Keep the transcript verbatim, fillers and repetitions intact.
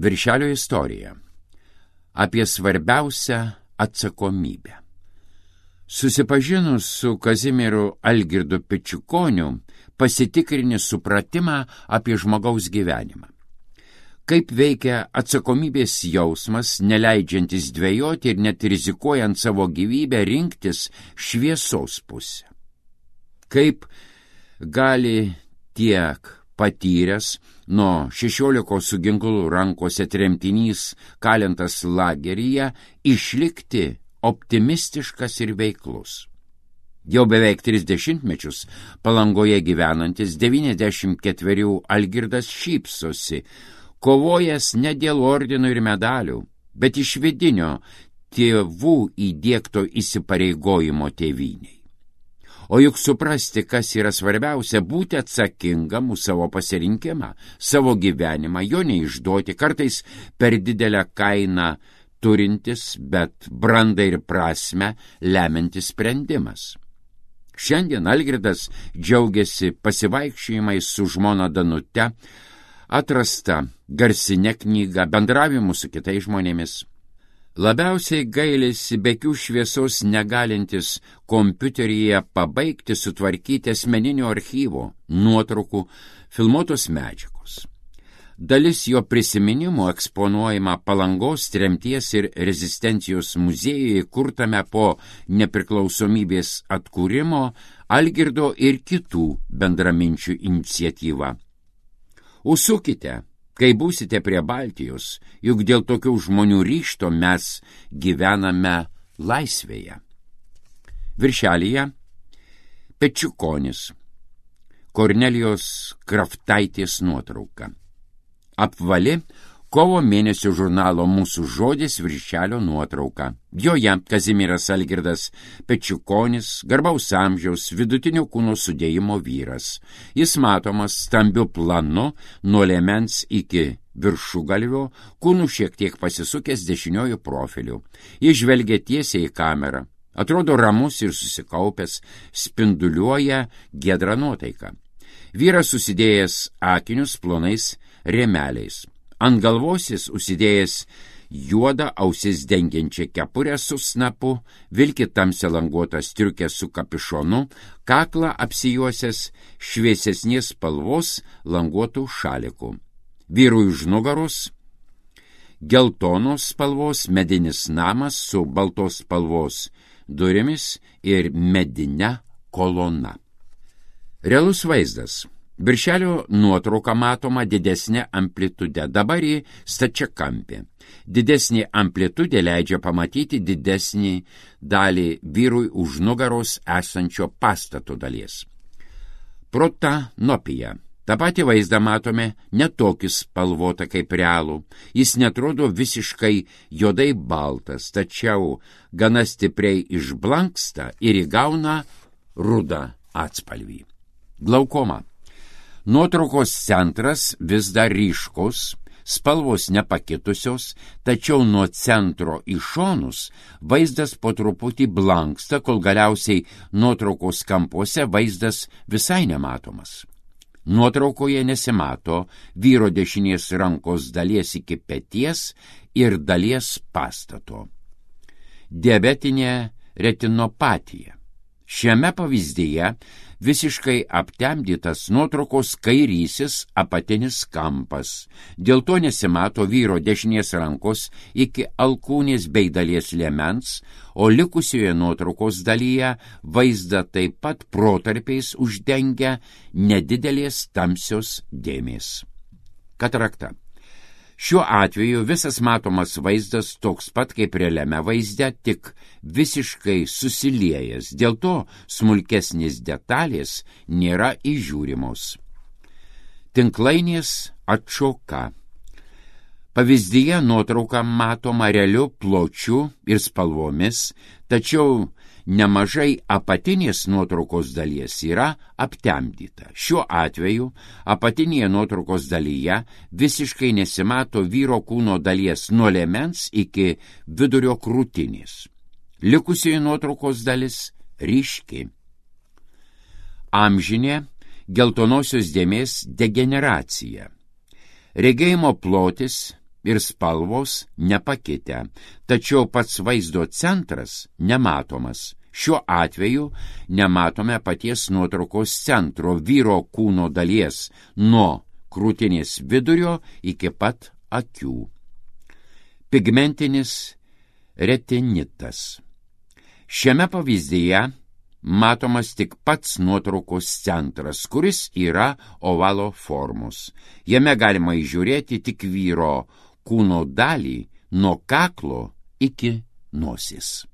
Viršelio istorija. Apie svarbiausią atsakomybę. Susipažinus su Kazimieru Algirdu Pečiukoniu, pasitikrini supratimą apie žmogaus gyvenimą. Kaip veikia atsakomybės jausmas, neleidžiantis dvejoti ir net rizikuojant savo gyvybę rinktis šviesos pusę. Kaip gali tiek patyręs nuo šešiolikos su ginklu rankose tremtinys kalintas lageryje išlikti optimistiškas ir veiklus. Jau beveik tris dešimtmečius Palangoje gyvenantis devyniasdešimt ketverių Algirdas šypsosi, kovojęs ne dėl ordinų ir medalių, bet iš vidinio tėvų įdiegto įsipareigojimo tėvynei. O juk suprasti, kas yra svarbiausia, būti atsakingam už savo pasirinkimą, savo gyvenimą, jo neišduoti, kartais per didelę kainą turintis, bet brandą ir prasmę lemiantis sprendimas. Šiandien Algirdas džiaugiasi pasivaikščiojimais su žmona Danute, atrasta garsinė knyga, bendravimu su kitais žmonėmis. Labiausiai gailisi bekių šviesos negalintis kompiuteryje pabaigti sutvarkyti asmeninio archyvo, nuotraukų, filmuotos medžiagos. Dalis jo prisiminimų eksponuojama Palangos tremties ir rezistencijos muziejuje, kurtame po nepriklausomybės atkūrimo Algirdo ir kitų bendraminčių iniciatyva. Užsukite, kai būsite prie Baltijos, juk dėl tokių žmonių ryžto mes gyvename laisvėje. Viršelyje Pečiukonis, Kornelijos Kraftaitės nuotrauka. Apvali kovo mėnesio žurnalo Mūsų žodis viršelio nuotrauka. Joje Kazimieras Algirdas Pečiukonis, garbaus amžiaus, vidutinio kūno sudėjimo vyras. Jis matomas stambiu planu nuo liemens iki viršugalvio, kūnų šiek tiek pasisukęs dešiniojų profiliu. Jis žvelgia tiesiai į kamerą. Atrodo ramus ir susikaupęs, spinduliuoja giedrą nuotaiką. Vyras susidėjęs akinius plonais rėmeliais. Ant galvos jis užsidėjęs juodą ausis dengiančią kepurę su snapu, vilki tamsią languotą striukę su kapišonu, kaklą apsijuosęs šviesesnės spalvos languotų šalikų. Vyrui už nugaros geltonos spalvos medinis namas su baltos spalvos durimis ir medine kolona. Realus vaizdas. Viršelio nuotrauka matoma didesnė amplitude, dabar į stačiakampį. Didesnė amplitudė leidžia pamatyti didesnį dalį vyrui už nugaros esančio pastato dalies. Protanopija. Ta pati vaizdą matome netokį spalvotą kaip realų. Jis netrodo visiškai juodai baltas, tačiau gana stipriai išblanksta ir įgauna rudą atspalvį. Glaukoma. Nuotraukos centras vis dar ryškus, spalvos nepakitusios, tačiau nuo centro į šonus vaizdas po truputį blanksta, kol galiausiai nuotraukos kampuose vaizdas visai nematomas. Nuotraukoje nesimato vyro dešinės rankos dalies iki peties ir dalies pastato. Diabetinė retinopatija. Šiame pavyzdyje visiškai aptemdytas nuotraukos kairysis apatinis kampas. Dėl to nesimato vyro dešinės rankos iki alkūnės bei dalies liemens, o likusioje nuotraukos dalyje vaizdą taip pat protarpiais uždengia nedidelės tamsios dėmės. Katarakta. Šiuo atveju visas matomas vaizdas toks pat kaip realiame vaizde, tik visiškai susiliejęs, dėl to smulkesnės detalės nėra įžiūrimos. Tinklainės atšoka. Pavyzdyje nuotrauka matoma realiu pločiu ir spalvomis, tačiau nemažai apatinės nuotraukos dalies yra aptemdyta. Šiuo atveju apatinėje nuotraukos dalyje visiškai nesimato vyro kūno dalies nuo liemens iki vidurio krūtinės. Likusioji nuotraukos dalis ryški. Amžinė geltonosios dėmės degeneracija. Regėjimo plotis ir spalvos nepakitę, tačiau pats vaizdo centras nematomas. Šiuo atveju nematome paties nuotraukos centro, vyro kūno dalies, nuo krūtinės vidurio iki pat akių. Pigmentinis retinitas. Šiame pavyzdyje matomas tik pats nuotraukos centras, kuris yra ovalo formos. Jame galima įžiūrėti tik vyro kūno dalį nuo kaklo iki nosies.